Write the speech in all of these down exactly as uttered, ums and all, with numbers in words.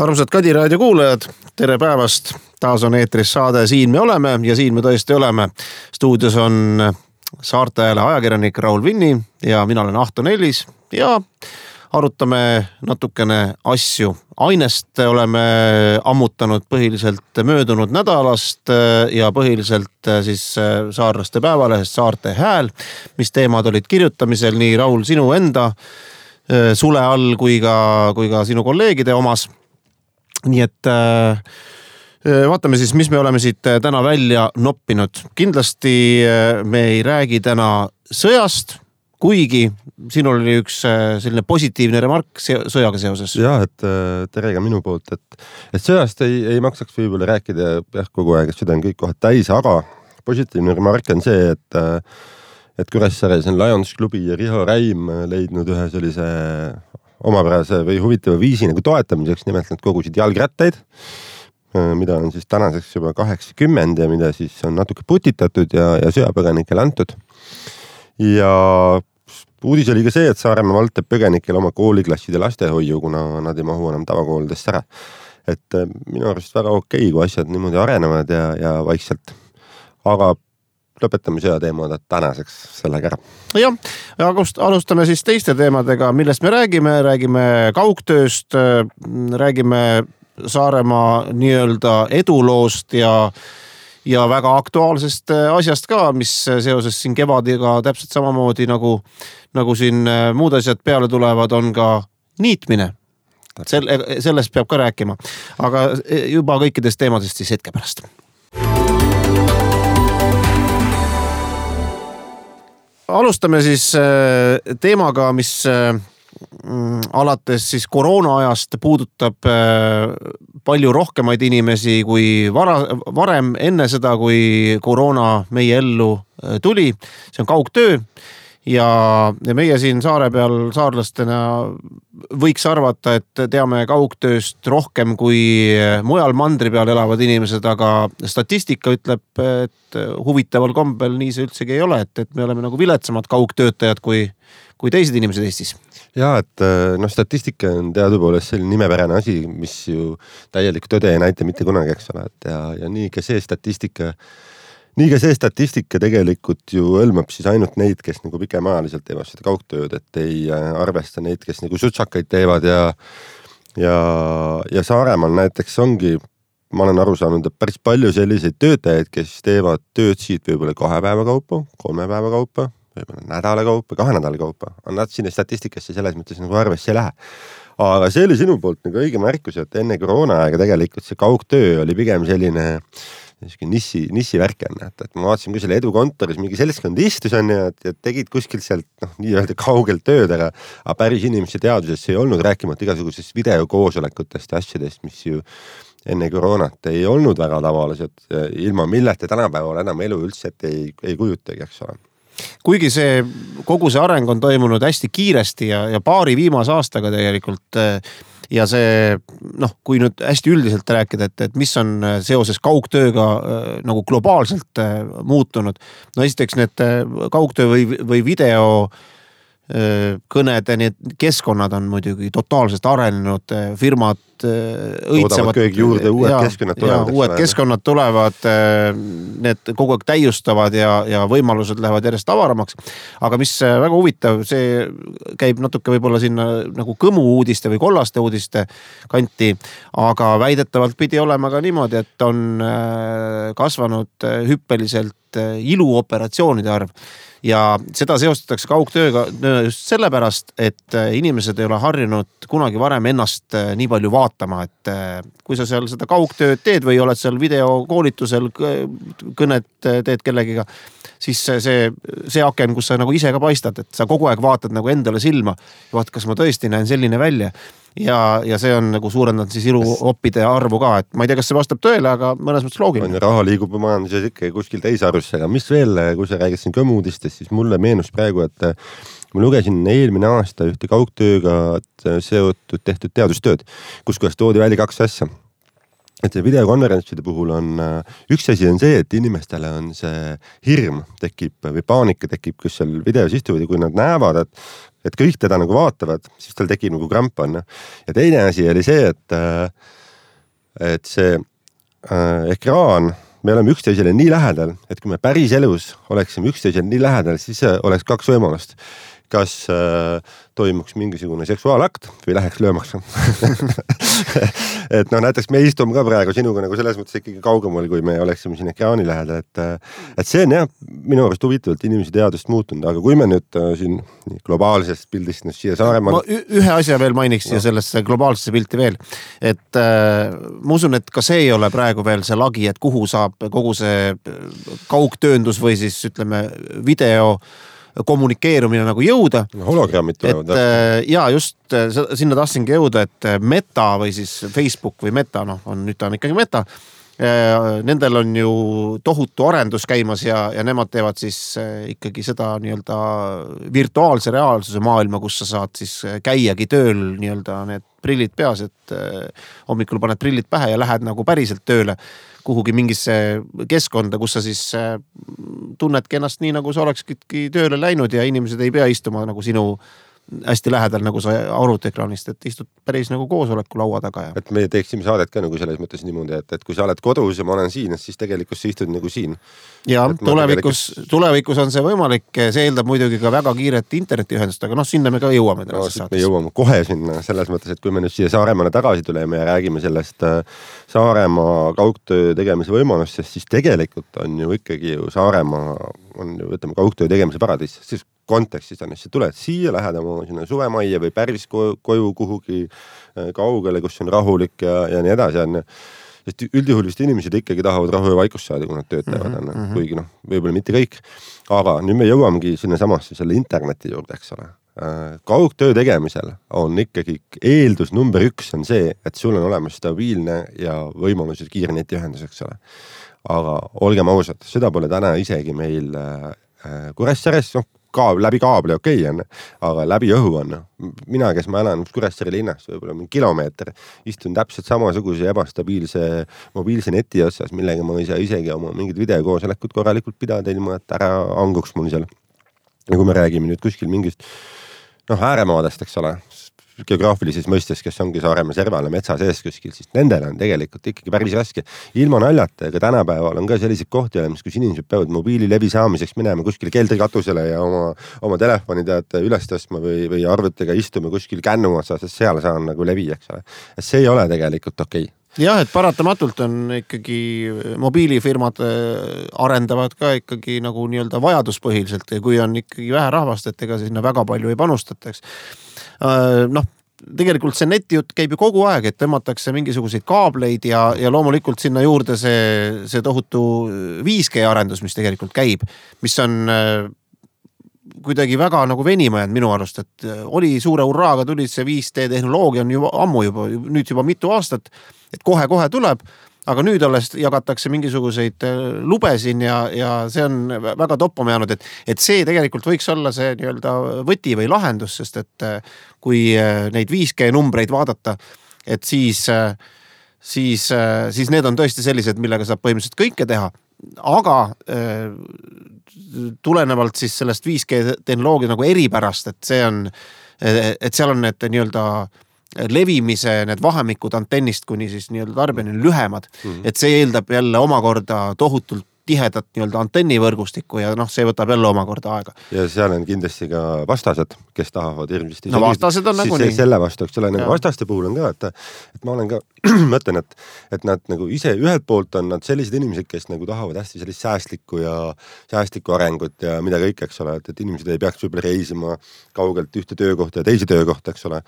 Armsad Kadi raadio kuulajad, tere päevast. Taas on eetris saade Siin me oleme ja siin me tõesti oleme. Stuudios on Saarte Hääle ajakirjanik Raul Vinni ja mina olen Ahto Nellis ja arutame natukene asju. Ainest oleme ammutanud põhiliselt möödunud nädalast ja põhiliselt siis saarlaste päevalehest Saarte Hääl, mis teemad olid kirjutamisel nii Raul sinu enda sule all kui ka, kui ka sinu kolleegide omas. Nii et äh, vaatame siis, mis me oleme siit täna välja noppinud. Kindlasti me ei räägi täna sõjast, kuigi sinul oli üks selline positiivne remark sõjaga seoses. Jah, et tere ka minu poolt, et, et sõjast ei, ei maksaks võib-olla rääkida jah, kogu aeg, et süda on kõik kohad täis, aga positiivne remark on see, et, et Kuressaares on Lions klubi ja Riho Räim leidnud ühe sellise omapärase või huvitava viisi nagu toetamiseks, nimelt nad kogusid jalgrattaid, mida on siis tänaseks juba kaheksakümmend ja mida siis on natuke putitatud ja, ja sõjapõgenikele antud. Ja uudis oli ka see, et Saaremaa vald teeb põgenikele oma kooliklasside lastehoiu, kuna nad ei mahu enam tavakoolidest ära. Et minu arust väga okei, kui asjad niimoodi arenevad ja, ja vaikselt. Aga lõpetame sõja teemad tänaseks sellega ära. Jah, alustame siis teiste teemadega, millest me räägime. Räägime kaugtööst, räägime Saaremaa nii-öelda eduloost ja, ja väga aktuaalsest asjast ka, mis seoses siin kevadiga täpselt samamoodi nagu, nagu siin muud asjad peale tulevad, on ka niitmine. Sel, sellest peab ka rääkima. Aga juba kõikidest teemadest siis hetke pärast. Alustame siis teemaga, mis alates siis koroona ajast puudutab palju rohkemaid inimesi kui vara, varem enne seda, kui koroona meie ellu tuli. See on kaugtöö ja, ja meie siin saare peal saarlastena võiks arvata, et teame kaugtööst rohkem kui mujal mandri peal elavad inimesed, aga statistika ütleb, et huvitaval kombel nii see üldsegi ei ole, et, et me oleme nagu viletsamad kaugtöötajad kui, kui teised inimesed Eestis. Ja, et no, statistika on teadupoolest selline nimepärane asi, mis ju täielik tõde ei näita mitte kunagi, eks ole. Et ja, ja nii ka see statistika Nii ka see statistika tegelikult ju hõlmab siis ainult neid, kes nagu pikemaajaliselt teevad seda kaugtööd, et ei arvesta neid, kes nagu sutsakaid teevad ja, ja, ja Saaremaal näiteks ongi, ma olen aru saanud, et päris palju selliseid töötajaid, kes teevad tööd siit võib-olla kahe päeva kaupa, kolme päeva kaupa, võib-olla nädala kaupa, kahe nädala kaupa. Nad sinne statistikasse selles mõttes nagu arvesse ei lähe. Aga see oli sinu poolt nagu õige märkus, et enne koroona aega tegelikult see kaugtöö oli pigem selline nissi, nissi värk on, et, et ma vaatasin, kui selle Edu kontoris mingi seltskond istus on ja, ja tegid kuskilt sealt noh, nii-öelda kaugelt tööd, aga, aga päris inimese teadusesse ei olnud rääkimata igasugusest videokoosolekutest ja asjadest, mis ju enne koroonat ei olnud väga tavalised, ilma millete tänapäeval enam elu üldse et ei, ei kujutagi, eks ole. Kuigi see, kogu see areng on toimunud hästi kiiresti ja, ja paari viimase aastaga tegelikult ja see, noh, kui nüüd hästi üldiselt rääkida, et, et mis on seoses kaugtööga nagu globaalselt muutunud. No esiteks need kaugtöö või, või video kõnede, need keskkonnad on muidugi totaalselt arenenud, firmad õitsevad. Kõik juurde, uued ja, keskkonnad tulevad. Ja, uued keskkonnad tulevad, need kogu aeg täiustavad ja, ja võimalused lähevad järjest avaramaks. Aga mis väga huvitav, see käib natuke võib-olla sinna nagu kõmu uudiste või kollaste uudiste kanti, aga väidetavalt pidi olema ka niimoodi, et on kasvanud hüppeliselt iluoperatsioonide arv. Ja seda seostatakse kaugtööga just sellepärast, et inimesed ei ole harjunud kunagi varem ennast nii palju vaatama, et kui sa seal seda kaugtööd teed või oled seal videokoolitusel, kõnet teed kellegiga, siis see, see aken, kus sa nagu ise ka paistad, et sa kogu aeg vaatad nagu endale silma ja vaat, kas ma tõesti näen selline välja. Ja, ja see on nagu suurendanud siis iluoppide arvu ka, et ma ei tea, kas see vastab tõele, aga mõnes mõttes loogiline. Raha liigub majanduses ikka kuskil teisarvusse, aga mis veel, kui sa räägid siin kõmuudistest, siis mulle meenus praegu, et ma lugesin eelmine aasta ühte kaugtööga seotud tehtud teadustööd, kus kohas toodi välja kaks asja. et see videokonverentside puhul on, üks asi on see, et inimestele on see hirm tekib või paanika tekib, kus seal videos istuvad ja kui nad näevad, et, et kõik teda nagu vaatavad, siis tal tekib nagu kramp on. Ja teine asi oli see, et, et see äh, ekraan, me oleme üksteisele nii lähedal, et kui me päris elus oleksime üksteisele nii lähedal, siis oleks kaks võimalust. Kas äh, toimuks mingisugune seksuaalakt või läheks löömaks. et noh, näiteks me istume ka praegu sinuga nagu selles mõttes ikkagi kaugemal, kui me oleksime siin ekraani lähedal, et, et see on jah, minu arust huvitavalt inimese teadust muutunud, aga kui me nüüd äh, siin globaalsest pildist nüüd siia Saaremaal... Ma ühe asja veel mainiks no. ja sellesse globaalsesse pilti veel, et äh, ma usun, et ka see ei ole praegu veel see lagi, et kuhu saab kogu see kaugtööndus või siis ütleme video kommunikeerumine nagu jõuda. Hologrammid tulevad. Et, ja just sinna tahtsingi jõuda, et Meta või siis Facebook või Meta, noh, on, nüüd ta on ikkagi Meta. Nendel on ju tohutu arendus käimas ja, ja nemad teevad siis ikkagi seda nii-öelda virtuaalse reaalsuse maailma, kus sa saad siis käiagi tööl nii-öelda need prillid peas, et hommikul paned prillid pähe ja lähed nagu päriselt tööle kuhugi mingisse keskkonda, kus sa siis tunnedki ennast nii, nagu sa olekski tööle läinud ja inimesed ei pea istuma nagu sinu hästi lähedal, nagu sa arvutiekraanist, et istud päris nagu koosoleku laua taga. Ja. Et me teeksime saadet ka nagu selles mõttes niimoodi, et, et kui sa oled kodus ja ma olen siin, siis tegelikult sa istud nagu siin. Ja tulevikus, tegelikult... tulevikus on see võimalik, see eeldab muidugi ka väga kiiret internetiühendust, aga noh, sinna me ka jõuame. No, me jõuame kohe sinna selles mõttes, et kui me nüüd siia Saaremaale tagasi tuleme ja räägime sellest Saaremaa kaugtöö tegemise võimalustest, siis tegelikult on ju ikkagi ju Saaremaa on ju, ütleme, kaugtöö tegemise paradiis, siis kontekstis on, sa tuled siia, lähed oma sinna suvemaia või päris koju kuhugi kaugele, kus on rahulik ja, ja nii edasi on. Sest üldjuhul vist inimesed ikkagi tahavad rahu ja vaikust saada, kui nad töötavad, mm -hmm. kuigi noh, võib-olla mitte kõik. Aga nüüd me jõuamegi sinna samasse selle interneti juurde, eks ole. Kaugtöö tegemisel on ikkagi eeldus number üks on see, et sul on olemas stabiilne ja võimalused kiire netiühendus, eks ole. Aga olgem ausad, seda pole täna isegi meil Kuressaares, noh, Kaab, läbi kaabli okei on, aga läbi õhu on. Mina, kes ma elan Kuressaare linnast, võib-olla mingi kilomeeter, istun täpselt samasuguse ebastabiilse mobiilse neti otsas, millega ma ei saa isegi oma mingid videokoosolekud korralikult pidada, ilma et ära anguks mul seal. Ja kui me räägime nüüd kuskil mingist noh, ääremaadest, eks ole, geograafilises mõistes, kes ongi Saaremaa serval ja metsa sees kuskil, siis nendel on tegelikult ikkagi päris raske. Ilma naljata, aga tänapäeval on ka sellised kohti olemas, kus inimesed peavad mobiililevi saamiseks minema kuskil keldrikatusele ja oma, oma telefoni tead üles tõstma või, või arvutiga istuma kuskil kännu otsas, sest seal saan nagu levi, eks ole. See ei ole tegelikult okei. Jah, et paratamatult on ikkagi mobiilifirmad arendavad ka ikkagi nagu nii-öelda vajaduspõhiliselt ja kui on ikkagi vähe rahvast, et ega sinna väga palju ei panustataks. Noh, tegelikult see netijutt käib ju kogu aeg, et tõmmatakse mingisuguseid kaableid ja, ja loomulikult sinna juurde see, see tohutu viis G arendus, mis tegelikult käib, mis on kuidagi väga nagu venima jäänud minu arust, et oli suure urraaga tulid see viis G tehnoloogia on juba ammu juba, nüüd juba mitu aastat, et kohe-kohe tuleb, aga nüüd alles jagatakse mingisuguseid lube siin ja, ja see on väga toppama jäänud, et, et see tegelikult võiks olla see nii-öelda võti või lahendus, sest et kui neid viis G numbreid vaadata, et siis, siis, siis need on tõesti sellised, millega saab põhimõtteliselt kõike teha, aga tulenevalt siis sellest viis G tehnoloogia nagu eripärast, et see on, et seal on need nii-öelda levimise need vahemikud antennist kuni siis nii-öelda tarbijani lühemad, mm-hmm. et see eeldab jälle omakorda tohutult tihedat nii-öelda antennivõrgustikku ja noh, see võtab jälle omakorda aega. Ja seal on kindlasti ka vastased, kes tahavad hirmsasti. No vastased on nagu nii. Selle vastu, eks ole, nagu vastaste puhul on ka, et, et ma olen ka, mõtlen, et, et nad nagu ise ühelt poolt on nad sellised inimesed, kes nagu tahavad hästi sellist säästlikku ja säästlikku arengut ja mida kõik, eks ole, et, et inimesed ei peaks võib-olla reisima kaugelt ühte töökohta ja teise töökohta, eks ole.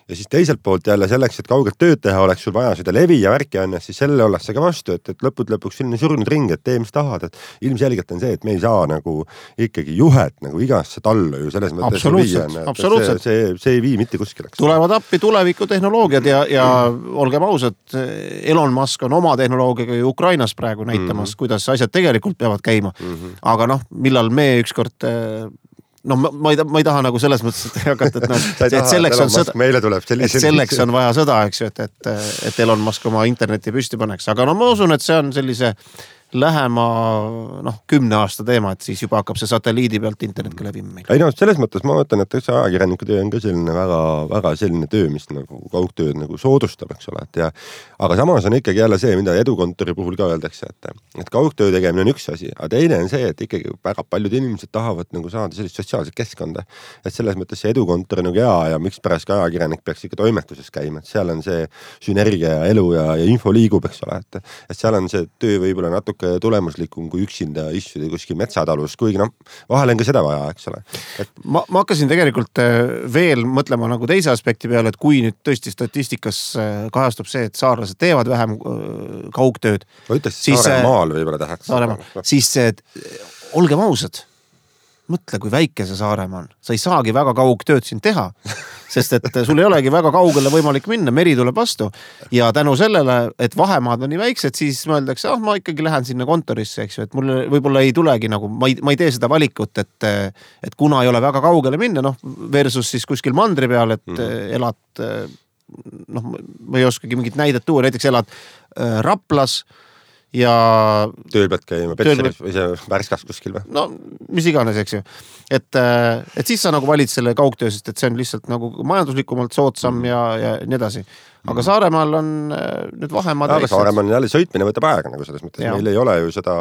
Ja siis teiselt poolt jälle selleks, et kaugelt tööd teha, oleks sul vaja seda levi ja värki on, siis selle ollakse ka vastu, et, et lõpud lõpuks selline surnud ring, et tee, mis tahad, et ilmselgelt on see, et me ei saa nagu ikkagi juhet nagu igasse tallu ju selles mõttes absoluutselt, viia, absoluutselt. See, see, see ei vii mitte kuskil. Tulevad appi tulevikutehnoloogiad ja, ja olgem ausad, Elon Musk on oma tehnoloogiaga ju Ukrainas praegu näitamas, mm-hmm. kuidas asjad tegelikult peavad käima. Mm-hmm. Aga noh, millal me ükskord no ma, ma, ei, ma ei taha nagu selles mõttes, et hakata, et, no, et selleks on sõda, meile tuleb et selleks on vaja sõda, eks ju, et, et, et Elon Musk oma interneti püsti paneks, aga no ma usun, et see on sellise lähema noh, kümne aasta teema, et siis juba hakkab see satelliidi pealt internet ka läbima meil. Ei no selles mõttes ma mõtlen, et see ajakirjaniku töö on ka selline väga, väga selline töö, mis nagu kaugtööd nagu soodustab, eks ole, et ja aga samas on ikkagi jälle see, mida edukontori puhul ka öeldakse, et, et kaugtöö tegemine on üks asi, aga teine on see, et ikkagi väga paljud inimesed tahavad nagu saada sellist sotsiaalset keskkonda, et selles mõttes see edukontor nagu hea ja miks pärast ka ajakirjanik peaks ikka toimetuses käima, et seal on see sünergia ja elu ja, ja info liigub, eks ole, et, et seal on see töö võib-olla natuke tulemuslikum kui üksinda istuda kuskil metsatalus, kuigi noh, vahel on ka seda vaja, eks ole. Et... Ma, ma hakkasin tegelikult veel mõtlema nagu teise aspekti peale, et kui nüüd tõesti statistikas kahastub see, et saarlased teevad vähem kaugtööd. Ma ütleks, siis Saaremaal võib-olla tahaks. Saaremaal, siis et, olgem ausad, mõtle, kui väike see Saaremaa on. Sa ei saagi väga kaugtööd siin teha, sest et sul ei olegi väga kaugele võimalik minna, meri tuleb vastu ja tänu sellele, et vahemaad on nii väiksed, siis mõeldakse, ah, ma ikkagi lähen sinna kontorisse, eks ju, et mul võib-olla ei tulegi nagu, ma ei, ma ei tee seda valikut, et, et kuna ei ole väga kaugele minna, noh, versus siis kuskil mandri peal, et mm. elad, noh, ma ei oskagi mingit näidet tuua, näiteks elad Raplas ja tööl pead käima Petseris või see Värskas kuskil või? No mis iganes, eks ju. Et, et siis sa nagu valid selle kaugtöö, sest et see on lihtsalt nagu majanduslikumalt soodsam mm. ja, ja nii edasi. Aga mm. Saaremaal on nüüd vahemaad. Aga Saaremaal on jälle sõitmine võtab aega nagu selles mõttes. Ja. Meil ei ole ju seda,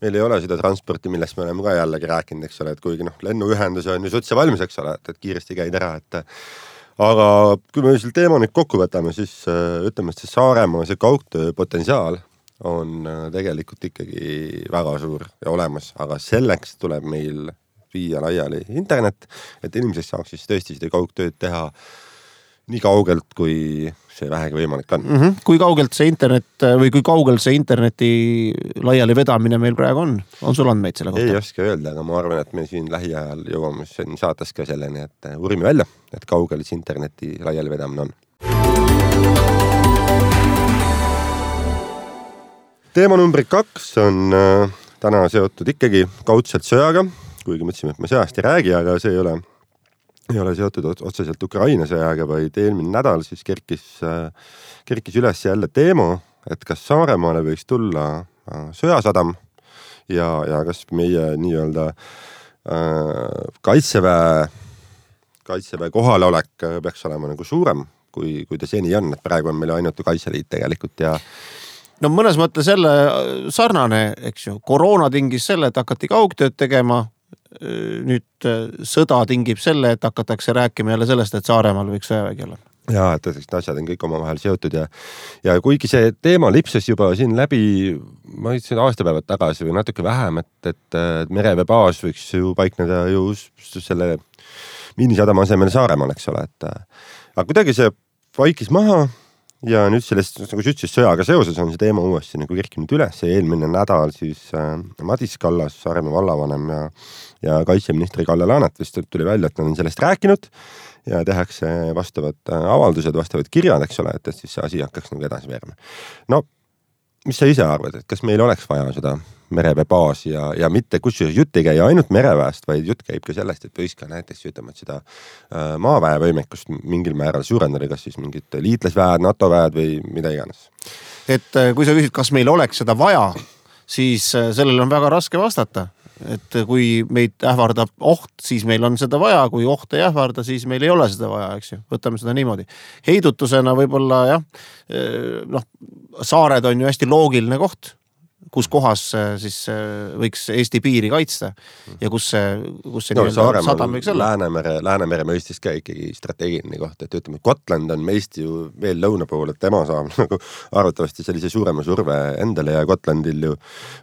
meil ei ole seda transporti, millest me oleme ka jällegi rääkinud, eks ole, et kuigi noh, lennuühendus on ju sutse valmis, eks ole, et, et kiiresti käid ära, et aga kui me selle teema nüüd kokku võtame, siis ütleme, et see Saaremaa, see kaugtöö potentsiaal on tegelikult ikkagi väga suur ja olemas, aga selleks tuleb meil viia laiali internet, et inimesed saaks siis tõesti seda kaugtööd teha nii kaugelt, kui see vähegi võimalik on. Mm-hmm. Kui kaugelt see internet või kui kaugelt see interneti laiali vedamine meil praegu on? On sul andmeid selle kohta? Ei oska öelda, aga ma arvan, et me siin lähiajal jõuame saates ka selleni, et uurime välja, et kaugel see interneti laiali vedamine on. Teema numbri kaks on äh, täna seotud ikkagi kaudselt sõjaga, kuigi mõtlesime, et me sõjast ei räägi, aga see ei ole, ei ole seotud otseselt Ukraina sõjaga, vaid eelmine nädal siis kerkis, äh, kerkis üles jälle teema, et kas Saaremaale võiks tulla äh, sõjasadam ja, ja kas meie nii-öelda äh, kaitseväe, kaitseväe kohalolek peaks olema nagu suurem, kui, kui ta seni on, et praegu on meil ainult Kaitseliit tegelikult ja no mõnes mõttes selle sarnane, eks ju, koroona tingis selle, et hakati kaugtööd tegema, nüüd sõda tingib selle, et hakatakse rääkima jälle sellest, et Saaremaal võiks sõjavägi olla. Jaa, et asjad on kõik omavahel seotud ja, ja kuigi see teema lipses juba siin läbi, ma ütlesin aastapäevad tagasi või natuke vähem, et, et mereveebaas võiks ju paikneda ju selle miinisadama asemel Saaremaal, eks ole, et aga kuidagi see vaikis maha ja nüüd sellest, nagu sa ütlesid, sõjaga seoses on see teema uuesti nagu kerkinud üles ja eelmine nädal siis äh, Madis Kallas, Saaremaa vallavanem ja, ja kaitseministri Kalle Laanet vist tuli välja, et nad on sellest rääkinud ja tehakse vastavad avaldused, vastavad kirjad, eks ole, et, et siis see asi hakkaks nagu edasi veerma. No, mis sa ise arvad, et kas meil oleks vaja seda mereveebaasi ja, ja mitte kusjuures jutt ei käi ainult mereväest, vaid jutt käib ka sellest, et võiks ka näiteks ütlema, et seda äh, maaväe võimekust mingil määral suurendada, kas siis mingid liitlasväed, NATO väed või mida iganes. Et kui sa küsid, kas meil oleks seda vaja, siis sellele on väga raske vastata. Et kui meid ähvardab oht, siis meil on seda vaja, kui oht ei ähvarda, siis meil ei ole seda vaja, eks ju. Võtame seda niimoodi. Heidutusena võib-olla jah, noh, saared on ju hästi loogiline koht, kus kohas siis võiks Eesti piiri kaitsta ja kus see, kus see no, sadam võiks olla. Läänemere, Läänemere mõistis ka ikkagi strateegiline koht, et ütleme, Gotland on meist ju veel lõuna pool, et tema saab nagu arvatavasti sellise suurema surve endale ja Gotlandil ju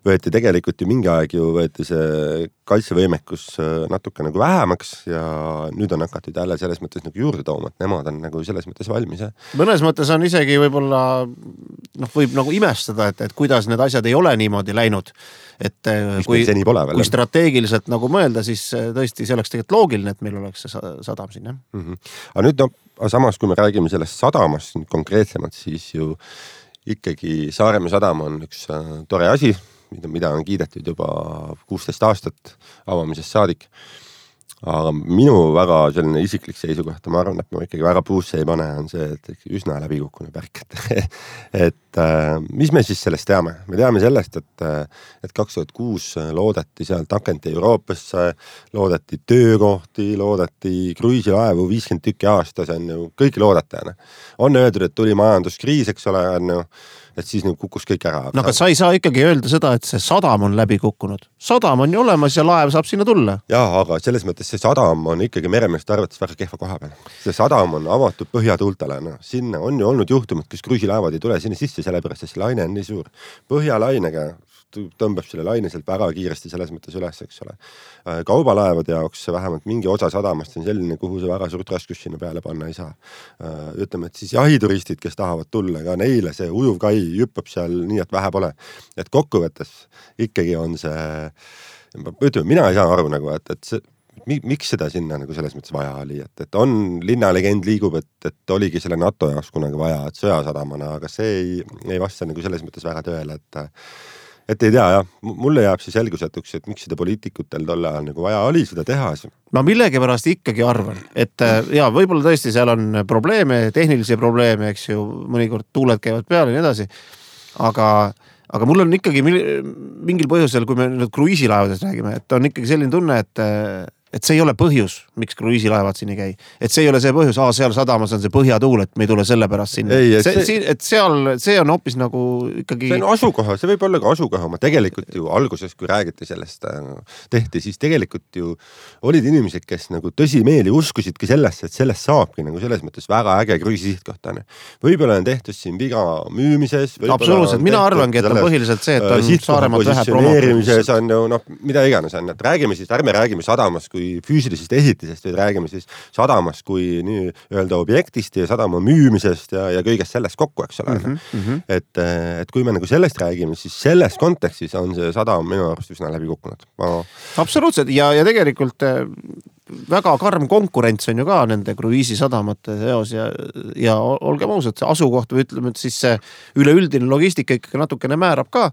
võeti tegelikult ju mingi aeg ju võeti see kaitsevõimekus natuke nagu vähemaks ja nüüd on hakatud jälle selles mõttes nagu juurde tooma, et nemad on nagu selles mõttes valmis. Ja? Mõnes mõttes on isegi võib-olla, noh, võib nagu imestada, et, et kuidas need asjad ei ole niimoodi läinud, et kui, kui strateegiliselt nagu mõelda, siis tõesti see oleks tegelikult loogiline, et meil oleks see sadam siin. Mm-hmm. Aga nüüd no, samas kui me räägime sellest sadamast konkreetsemalt, siis ju ikkagi Saaremaa sadam on üks tore asi, mida, mida on kiidetud juba kuusteist aastat avamisest saadik. aga minu väga selline isiklik seisukoht, ma arvan, et ma ikkagi väga puusse ei pane, on see, et üsna läbikukkune pärk. Et, et mis me siis sellest teame? Me teame sellest, et, et kaks tuhat kuus loodeti sealt akenti Euroopasse, loodeti töökohti, loodeti kruiisilaevu viiskümmend tükki aastas, on ju, kõik loodete. On öeldud, et tuli majanduskriis, eks ole, on ju, et siis nüüd kukkus kõik ära. No aga sa ei saa ikkagi öelda seda, et see sadam on läbi kukkunud. Sadam on ju olemas ja laev saab sinna tulla. Jaa, aga selles mõttes see sadam on ikkagi meremeeste arvates väga kehva koha peal. See sadam on avatud põhjatuultele. No, sinna on ju olnud juhtumid, kus kruiisilaevad ei tule sinna sisse, sellepärast, et see laine on nii suur. Põhjalainega tõmbab selle laine sealt väga kiiresti selles mõttes üles, eks ole. Kaubalaevade jaoks vähemalt mingi osa sadamast on selline, kuhu see väga suurt raskus sinna peale panna ei saa. Ütleme, et siis jahituristid, kes tahavad tulla, ka neile see ujuv kai jüppab seal nii, et vähe pole. Et kokkuvõttes ikkagi on see, ütleme, mina ei saa aru nagu, et, et see, miks seda sinna nagu selles mõttes vaja oli, et, et on linnalegend liigub, et, et oligi selle NATO jaoks kunagi vaja, et sõjasadamana, aga see ei, ei vasta nagu selles mõttes väga tööle, et et ei tea, jah, mulle jääb see selgusetuks, et miks seda poliitikutel tolle ajal nagu vaja oli seda teha. Ma millegi pärast ikkagi arvan, et ja võib-olla tõesti seal on probleeme, tehnilisi probleeme, eks ju, mõnikord tuuled käivad peale ja nii edasi, aga, aga mul on ikkagi mingil põhjusel, kui me nüüd kruiisilaevadest räägime, et on ikkagi selline tunne, et et see ei ole põhjus, miks kruiisilaevad siin ei käi. Et see ei ole see põhjus, aa, seal sadamas on see põhjatuul, et me ei tule selle pärast sinna. Ei, et, see, see... et seal, see on hoopis nagu ikkagi... See on asukoha, see võib olla ka asukoha. Ma tegelikult ju alguses, kui räägiti sellest tehti, siis tegelikult ju olid inimesed, kes nagu tõsimeeli uskusidki sellesse, et sellest saabki nagu selles mõttes väga äge kruiisisihtkoht. Võib-olla on tehtud siin viga müümises. Absoluutselt, mina arvangi, et on põhiliselt see, et on Saaremaalt vähe positsioneerimises on ju, noh, mida iganes on, et räägime siis, ärme räägime sadamas kui füüsilisest ehitisest, või räägime siis sadamast kui nii öelda objektist ja sadama müümisest ja, ja kõigest sellest kokku, eks ole. Mm -hmm. et, et kui me nagu sellest räägime, siis selles kontekstis on see sadam minu arust üsna läbi kukkunud. Ma... Absoluutselt ja, ja tegelikult väga karm konkurents on ju ka nende kruiisisadamate seos ja, ja olgem ausad, see asukoht või ütleme, et siis see üleüldine logistika ikkagi natukene määrab ka.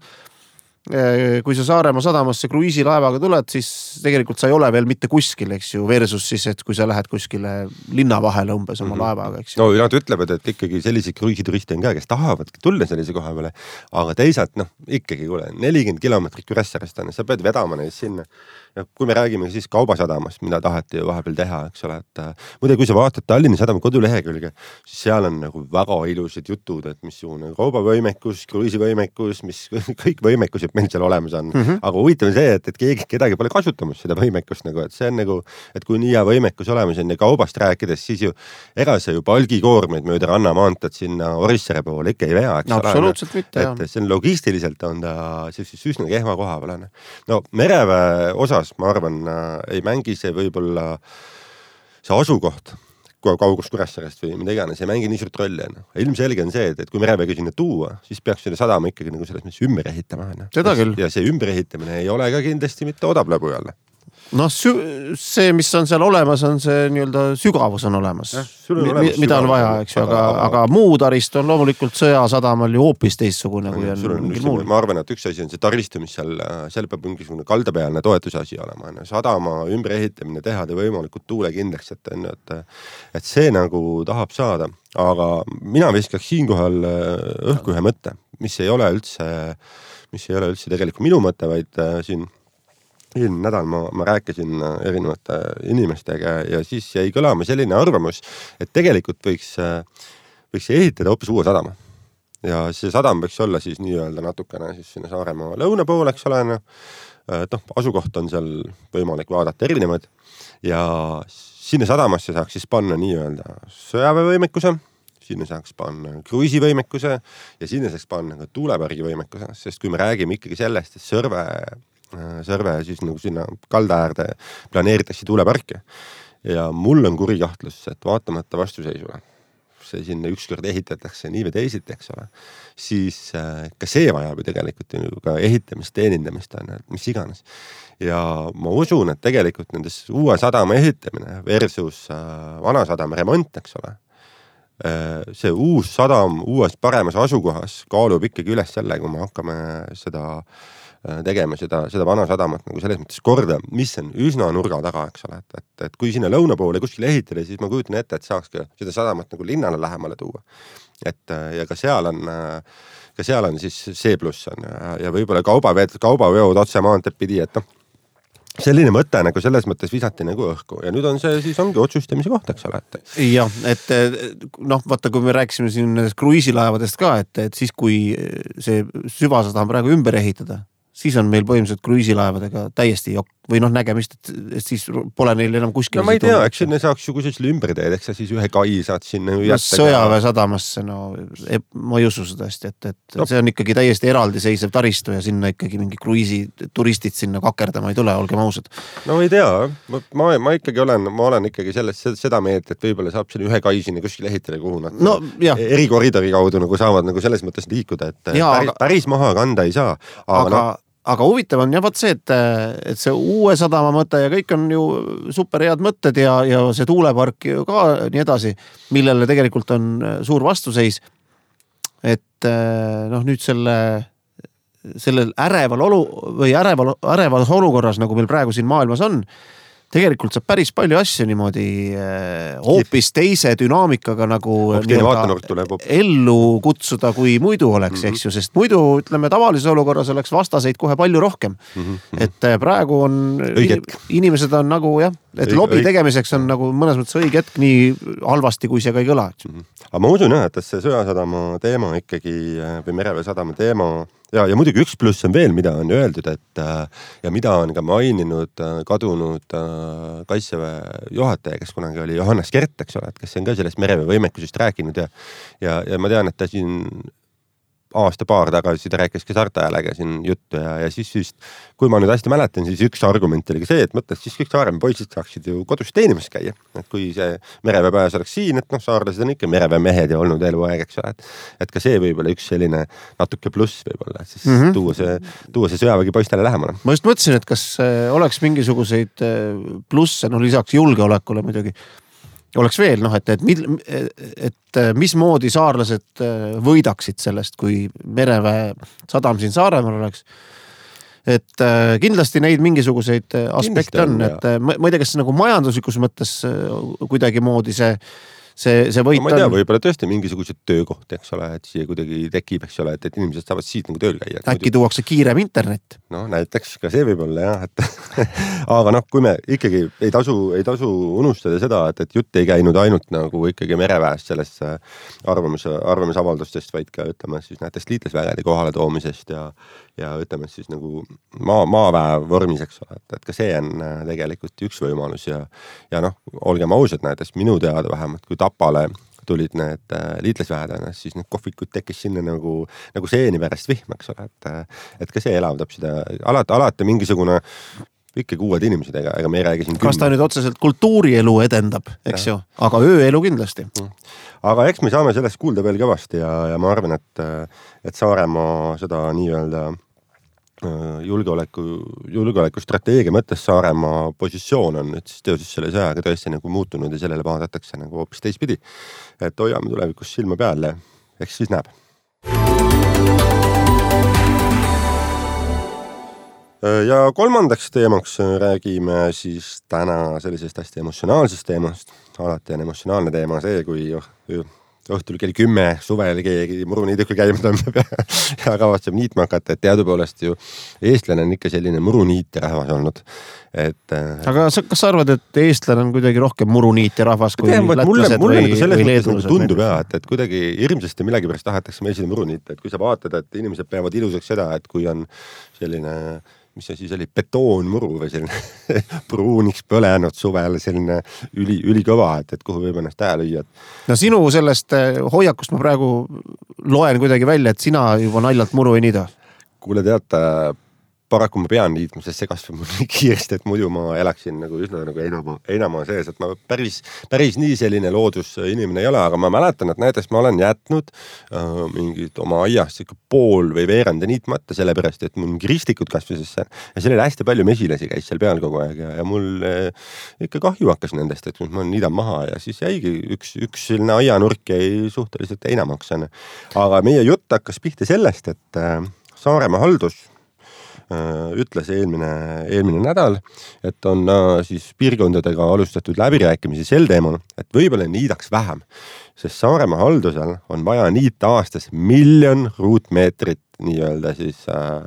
Kui sa Saaremaa sadamasse kruiisilaevaga tuled, siis tegelikult sa ei ole veel mitte kuskil, eks ju, versus siis, et kui sa lähed kuskile linna vahele umbes oma mm -hmm. laevaga, eks ju. No nad ütlevad, et ikkagi sellised kruiisituriste on ka, kes tahavad tulla sellise koha peale, aga teisalt, noh, ikkagi kuule, nelikümmend kilomeetrit Kuressaarest on, sa pead vedama neid sinna. Ja kui me räägime siis kaubasadamast, mida taheti vahepeal teha, eks ole, et muide, kui sa vaatad Tallinna sadama kodulehekülge, siis seal on nagu väga ilusad jutud, et missugune kaubavõimekus, kruiisivõimekus, mis kõik võimekused meil seal olemas on. Mm -hmm. Aga huvitav on see, et, et keegi, kedagi pole kasutamas seda võimekust nagu, et see on nagu, et kui nii hea võimekus olemas on ja kaubast rääkides, siis ju ega see ju palgikoormeid mööda Rannamaantat sinna Orissere poole ikka ei vea, eks no, ole. Absoluutselt mitte, jah. Et see on logistiliselt on ta siis üsna kehva koha peal. No mereväe osas ma arvan, ei mängi see võib-olla see asukoht kaugust Kuressaarest või mida iganes, ei mängi nii suurt rolli. Ilmselge on see, et, et kui mereväega sinna tuua, siis peaks selle sadama ikkagi nagu selles mõttes ümber ehitama. Seda küll. Ja see ümber ehitamine ei ole ka kindlasti mitte odav lõbu jälle. Noh, see, mis on seal olemas, on see nii-öelda sügavus on olemas, ja, on olemas mida sügavus, on vaja, eks ju, aga, aga, aga muu taristu on loomulikult sõjasadamal ju hoopis teistsugune kui on, on mingil muul. Ma arvan, et üks asi on see taristu, mis seal, seal peab mingisugune kaldapealne toetuse asi olema. Sadama ümber ehitamine, teha ta võimalikult tuulekindlaks, et, et, et see nagu tahab saada. Aga mina viskaks siinkohal õhku ühe mõtte, mis ei ole üldse, mis ei ole üldse tegelikult minu mõte, vaid siin eelmine nädal ma, ma rääkisin erinevate inimestega ja siis jäi kõlama selline arvamus, et tegelikult võiks, võiks ehitada hoopis uue sadama. Ja see sadam võiks olla siis nii-öelda natukene siis sinna Saaremaa lõuna poole, eks ole, noh, noh, asukoht on seal võimalik vaadata erinevad ja sinna sadamasse saaks siis panna nii-öelda sõjaväevõimekuse, sinna saaks panna kruiisivõimekuse ja sinna saaks panna ka tuulepargivõimekuse, sest kui me räägime ikkagi sellest, et Sõrve Sõrve siis nagu sinna kaldaäärde planeeritakse tuuleparke ja mul on kuri kahtlus, et vaatamata vastuseisule see sinna ükskord ehitatakse nii või teisiti, eks ole, siis ka see vajab ju tegelikult ju ka ehitamist, teenindamist, mis iganes. Ja ma usun, et tegelikult nendes uue sadama ehitamine versus vana sadama remont, eks ole, see uus sadam uues paremas asukohas kaalub ikkagi üles selle, kui me hakkame seda tegema seda, seda vana sadamat nagu selles mõttes korda, mis on üsna nurga taga, eks ole, et, et, et kui sinna lõuna poole kuskil ehitada, siis ma kujutan ette, et saaks ka seda sadamat nagu linnale lähemale tuua. Et ja ka seal on, ka seal on siis see pluss on ja, ja võib-olla kaubaveod, kaubaveod otse maanteed pidi, et noh, selline mõte nagu selles mõttes visati nagu õhku ja nüüd on see siis ongi otsustamise koht, eks ole. Et... jah, et noh, vaata, kui me rääkisime siin nendest kruiisilaevadest ka, et, et siis kui see süvasadam praegu ümber ehitada, siis on meil põhimõtteliselt kruiisilaevadega täiesti jokk või noh, nägemist, et, et siis pole neil enam kuskil. No ma ei tea, eks sinne saaks ju kusagil ümber teed, eks sa siis ühe kai saad sinna ju jätta. Sõjaväe sadamasse, no ma ei usu seda hästi, et, et no. See on ikkagi täiesti eraldiseisev taristu ja sinna ikkagi mingi kruiisi turistid sinna kakerdama ei tule, olgem ausad. No ei tea, ma, ma, ma ikkagi olen, ma olen ikkagi selles, seda meelt, et võib-olla saab sinna ühe kai sinna kuskil ehitada, kuhu nad no, eri koridori kaudu nagu saavad nagu selles mõttes liikuda, et ja, päris, aga... päris maha kanda ei saa. Aga, aga... No, Aga huvitav on jah, vaat see, et, et see uue sadama mõte ja kõik on ju super head mõtted ja, ja see tuulepark ju ka nii edasi, millele tegelikult on suur vastuseis. Et noh, nüüd selle, sellel äreval olu või äreval, ärevas olukorras, nagu meil praegu siin maailmas on, tegelikult saab päris palju asju niimoodi hoopis teise dünaamikaga nagu ellu kutsuda, kui muidu oleks, mm-hmm. eks ju, sest muidu, ütleme, tavalises olukorras oleks vastaseid kohe palju rohkem. Mm-hmm. Et praegu on, inimesed on nagu jah, et lobi tegemiseks on nagu mõnes mõttes õige hetk nii halvasti, kui see ka ei kõla. Mm-hmm. Aga ma usun jah, et see Sõjasadama teema ikkagi või Merevee sadama teema ja, ja muidugi üks pluss on veel, mida on öeldud, et ja mida on ka maininud kadunud Kaitseväe juhataja, kes kunagi oli Johannes Kert, eks ole, et kes on ka sellest merevee võimekusest rääkinud ja, ja, ja ma tean, et ta siin aasta paar tagasi ta rääkis ka Saarte Häälega siin juttu ja, ja siis just, kui ma nüüd hästi mäletan, siis üks argument oli ka see, et mõttes siis kõik Saaremaa poisid saaksid ju kodus teenimas käia. Et kui see mereveepäevas oleks siin, et noh, saarlased on ikka merevee mehed ja olnud eluaeg, eks ole, et, et ka see võib-olla üks selline natuke pluss võib-olla, et siis mm-hmm. tuua see, tuua see sõjavägi poistele lähemale. Ma just mõtlesin, et kas oleks mingisuguseid plusse, no lisaks julgeolekule muidugi, oleks veel, noh, et, et, et mismoodi saarlased võidaksid sellest, kui mereväe sadam siin Saaremaal oleks. Et kindlasti neid mingisuguseid aspekte on, on, et ma ei tea, kas nagu majanduslikus mõttes kuidagi moodi see See, see võit no, ma ei tea, võib-olla tõesti mingisugused töökohti, eks ole, et siia kuidagi tekib, eks ole, et, et inimesed saavad siit nagu tööl käia. Äkki muidu... tuuakse kiirem internet? No näiteks ka see võib-olla jah, et aga noh, kui me ikkagi ei tasu, ei tasu unustada seda, et, et jutt ei käinud ainult nagu ikkagi mereväest sellest arvamus, arvamisavaldustest, vaid ka ütleme siis näiteks liitlasvägede kohale toomisest ja, ja ütleme siis nagu maa, maaväe vormis, eks ole, et, et ka see on tegelikult üks võimalus ja, ja noh, olgem ausad näiteks minu teada vähemalt, kui Tapale tulid need liitlasväedena, siis need kohvikud tekkis sinna nagu, nagu seeni pärast vihm, eks ole, et, et ka see elavdab seda, alati, alati mingisugune ikkagi uued inimesed, ega, ega me ei räägi siin kas ta nüüd otseselt kultuurielu edendab, eks ja. Ju, aga ööelu kindlasti. Aga eks me saame sellest kuulda veel kõvasti ja, ja ma arvan, et, et Saaremaa seda nii-öelda julgeoleku, julgeoleku strateegia mõttes Saaremaa positsioon on nüüd siis teoses selle sõjaga tõesti nagu muutunud ja sellele vaadatakse nagu hoopis teistpidi. Et hoiame tulevikus silma peale, eks siis näeb. Ja kolmandaks teemaks räägime siis täna sellisest hästi emotsionaalsest teemast. Alati on emotsionaalne teema see, kui oh, õhtul kell kümme suvel keegi muruniiduga käima tõmbab ja, ja kavatseb niitma hakata, et teadupoolest ju eestlane on ikka selline muruniit rahvas olnud. Et, aga sa, kas sa arvad, et eestlane on kuidagi rohkem muruniit ja rahvas kui tean, lätlased mulle, mulle või, või leedused? Tundub jah, et, et kuidagi hirmsasti millegi pärast tahetakse meil seda muruniit, et kui sa vaatad, et inimesed peavad ilusaks seda, et kui on selline mis see siis oli, betoonmuru või selline pruuniks põlenud suvel, selline üli, ülikõva, et, et kuhu võib ennast tähe lüüa. No sinu sellest hoiakust ma praegu loen kuidagi välja, et sina juba naljalt muru ei niida. Kuule teata, paraku ma pean liitma, sest see kasvab mul nii kiiresti, et muidu ma elaksin nagu üsna nagu einamaa, einamaa sees, et ma päris, päris nii selline loodus inimene ei ole, aga ma mäletan, et näiteks ma olen jätnud äh, mingid oma aiast pool või veeranda niitmata, sellepärast, et mul mingi ristikud kasvasesse ja seal oli hästi palju mesilasi käis seal peal kogu aeg ja, ja mul äh, ikka kahju hakkas nendest, et ma niidan maha ja siis jäigi üks, üks selline aianurk jäi suhteliselt einamaks. Aga meie jutt hakkas pihta sellest, et äh, Saaremaa haldus ütles eelmine, eelmine nädal, et on siis piirkondadega alustatud läbirääkimisi sel teemal, et võibolla niidaks vähem, sest Saaremaa haldusel on vaja niita aastas miljon ruutmeetrit nii-öelda siis äh,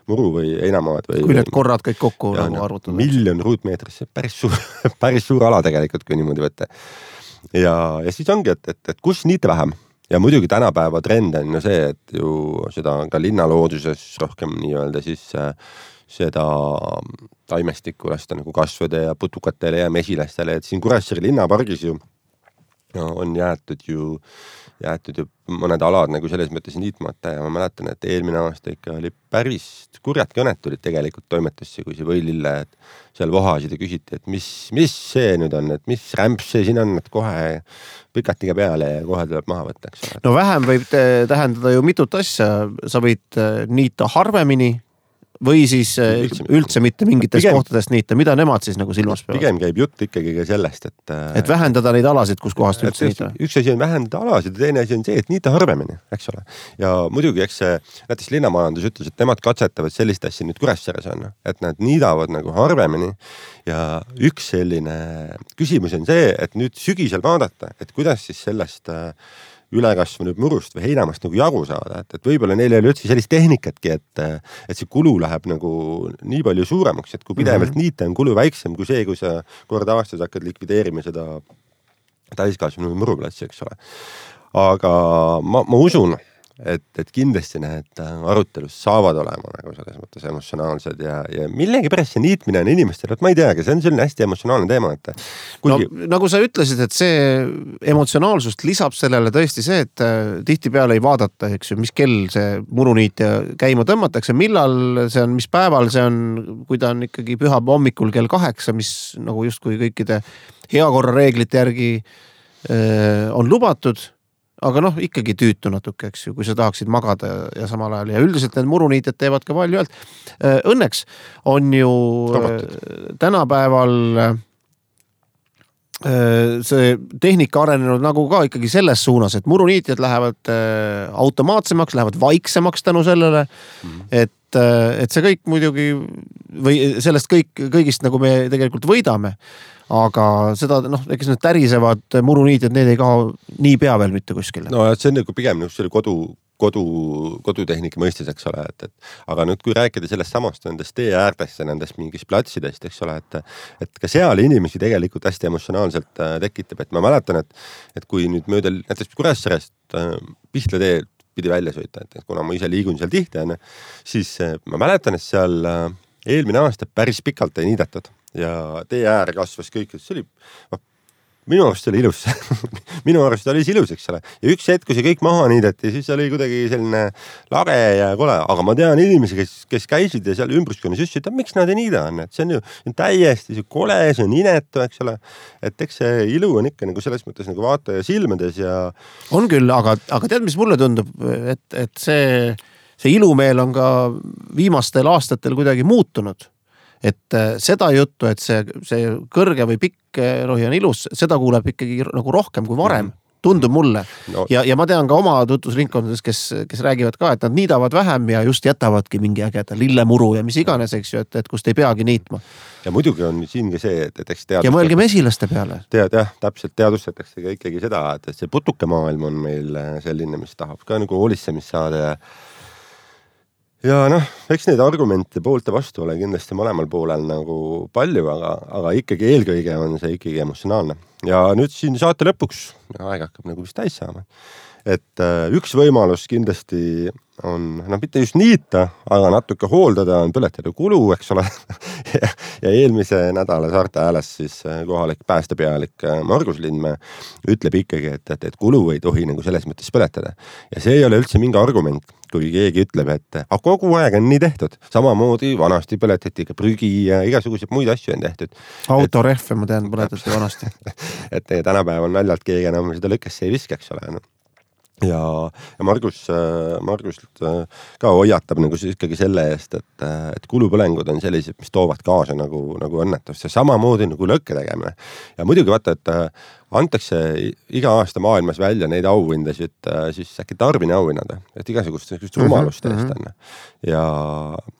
muru või heinamaad. Või, kui need korrad kõik kokku ja, nagu arvutada. Miljon ruutmeetrit, see päris suur, päris suur ala tegelikult, kui niimoodi võtta. Ja, ja siis ongi, et, et, et kus niita vähem. Ja muidugi tänapäeva trend on ju see, et ju seda ka linnalooduses rohkem nii-öelda siis äh, seda taimestikku lasta nagu kasvõde ja putukatele ja mesilastele, et siin Kuressaare linnapargis ju no, on jäetud ju jäetud ju mõned alad nagu selles mõttes niitmata ja ma mäletan, et eelmine aasta ikka oli päris kurjad kõnet tulid tegelikult toimetusse, kui see võilille, et seal vohasid ja küsiti, et mis, mis see nüüd on, et mis rämps see siin on, et kohe pikatiga peale ja kohe tuleb maha võtta. No vähem võib tähendada ju mitut asja, sa võid niita harvemini või siis üldse, üldse mitte mingitest pigem, kohtadest niita, mida nemad siis nagu silmas peavad? Pigem käib jutt ikkagi ka sellest, et et vähendada neid alasid, kus kohast üldse niita. Üks asi on vähendada alasid ja teine asi on see, et niita harvemini, eks ole. Ja muidugi, eks see näiteks linnamajandus ütles, et nemad katsetavad sellist asja nüüd Kuressaares on, et nad niidavad nagu harvemini ja üks selline küsimus on see, et nüüd sügisel vaadata, et kuidas siis sellest ülekasvanud murust või heinamast nagu jagu saada, et, et võib-olla neil ei ole üldse sellist tehnikatki, et, et see kulu läheb nagu nii palju suuremaks, et kui pidevalt mm-hmm. niita on kulu väiksem kui see, kui sa kord aastas hakkad likvideerima seda täiskasvanud muruplatsi, eks ole. Aga ma, ma usun, et, et kindlasti need arutelus saavad olema nagu selles mõttes emotsionaalsed ja, ja millegi pärast see niitmine on inimestele, et ma ei teagi, see on selline hästi emotsionaalne teema, et kuigi... no, nagu sa ütlesid, et see emotsionaalsust lisab sellele tõesti see, et tihtipeale ei vaadata, eks ju, mis kell see muruniit ja käima tõmmatakse, millal see on, mis päeval see on, kui ta on ikkagi pühab hommikul kell kaheksa, mis nagu justkui kõikide heakorra reeglite järgi öö, on lubatud. Aga noh, ikkagi tüütu natuke, eks ju, kui sa tahaksid magada ja, ja samal ajal. Ja üldiselt need muruniited teevad ka palju öeld. Õnneks on ju Robotud. Tänapäeval see tehnika arenenud nagu ka ikkagi selles suunas, et muruniitjad lähevad automaatsemaks, lähevad vaiksemaks tänu sellele, mm-hmm. et, et see kõik muidugi või sellest kõik, kõigist nagu me tegelikult võidame. Aga seda, noh, eks need tärisevad muruniitjad, need ei kaha nii pea veel mitte kuskile. No see on nagu pigem nagu selle kodu, kodu, kodutehnika mõistes, eks ole, et, et aga nüüd kui rääkida sellest samast nendest tee äärtest ja nendest mingist platsidest, eks ole, et, et ka seal inimesi tegelikult hästi emotsionaalselt tekitab, et ma mäletan, et, et kui nüüd mööda näiteks Kuressaarest äh, Pihla tee pidi välja sõita, et, et kuna ma ise liigun seal tihti, siis äh, ma mäletan, et seal äh, eelmine aasta päris pikalt ei niidetud ja tee äär kasvas kõik, see oli, minu arust oli ilus minu arust oli ilus, eks ole. Ja üks hetk, kui see kõik maha niideti, siis oli kuidagi selline lage ja kole, aga ma tean inimesi, kes, kes käisid ja seal ümbruskonnas just, et miks nad ei niida on, et see on ju täiesti see kole, see on inetu, eks ole. Et eks see ilu on ikka nagu selles mõttes nagu vaataja silmades ja... On küll, aga, aga tead, mis mulle tundub, et, et see, see ilumeel on ka viimastel aastatel kuidagi muutunud. Et seda juttu, et see, see kõrge või pikk rohi on ilus, seda kuuleb ikkagi nagu rohkem kui varem, tundub mulle. No. Ja, ja ma tean ka oma tutvusringkondades, kes, kes räägivad ka, et nad niidavad vähem ja just jätavadki mingi ägeda lillemuru ja mis iganes, eks ju, et, et kust ei peagi niitma. Ja muidugi on siin ka see, et, et eks teadustada... Ja mõelge mesilaste peale. Tead, jah, täpselt teadustatakse ka ikkagi seda, et see putukemaailm on meil selline, mis tahab ka nagu hoolitsemist saada ja Ja noh, eks neid argumente poolt ja vastu ole kindlasti mõlemal poolel nagu palju, aga, aga ikkagi eelkõige on see ikkagi emotsionaalne. Ja nüüd siin saate lõpuks, aeg hakkab nagu vist täis saama, et üks võimalus kindlasti on, noh mitte just niita, aga natuke hooldada on põletada kulu, eks ole. ja, ja eelmise nädala Saarte Hääles siis kohalik päästepealik Margus Lindmäe ütleb ikkagi, et, et, et kulu ei tohi nagu selles mõttes põletada. Ja see ei ole üldse mingi argument, kui keegi ütleb, et aga kogu aeg on nii tehtud. Samamoodi vanasti põletati ka prügi ja igasuguseid muid asju on tehtud. Autorehve, ma tean, põletati vanasti. et tänapäev on naljalt keegi enam seda lõkkesse ei viske, eks ole. No. Ja, ja Margus, Margus ka hoiatab nagu ikkagi selle eest, et, et kulupõlengud on sellised, mis toovad kaasa nagu, nagu õnnetust ja samamoodi nagu lõkke tegemine. Ja muidugi vaata, et antakse iga aasta maailmas välja neid auhindasid, siis äkki Darwini auhinnad, et igasugust rumalust eest on. Ja,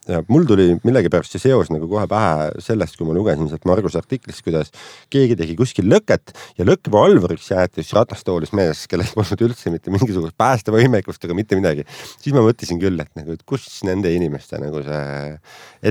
ja mul tuli millegipärast see seos nagu kohe pähe sellest, kui ma lugesin sealt Margus artiklist, kuidas keegi tegi kuskil lõket ja lõkkva alvuriks jäetis ratastoolis mees, kellel polnud üldse mitte mingisugust päästevõimekust ega mitte midagi. Siis ma mõtlesin küll, et nagu, et kus nende inimeste nagu see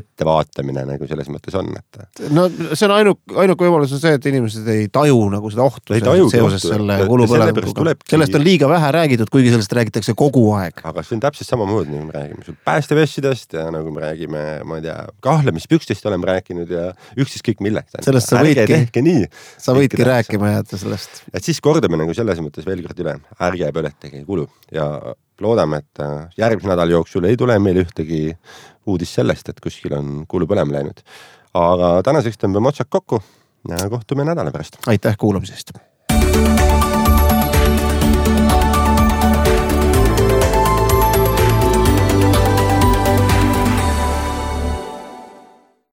ettevaatamine nagu selles mõttes on. Et... No see on ainuk, ainuk võimalus on see, et inimesed ei taju nagu seda ohtu seoses selle kulupõlemuga. Sellest on liiga vähe räägitud, kuigi sellest räägitakse kogu aeg. Aga see on täpselt sama mood, nagu me räägime sul päästevessidest ja nagu me räägime, ma ei tea, kahlemispükstest oleme rääkinud ja üksis kõik millest. Sellest sa võidki, tehke nii, sa võidki rääkima jääda sellest. Et siis kordame nagu selles mõttes veel kord üle, ärge põletage kulu ja loodame, et järgmise nädal jooksul ei tule meil ühtegi uudis sellest, et kuskil on kulu põlema läinud. Aga tänaseks tõmbame otsad kokku ja kohtume nädala pärast. Aitäh kuulamisest!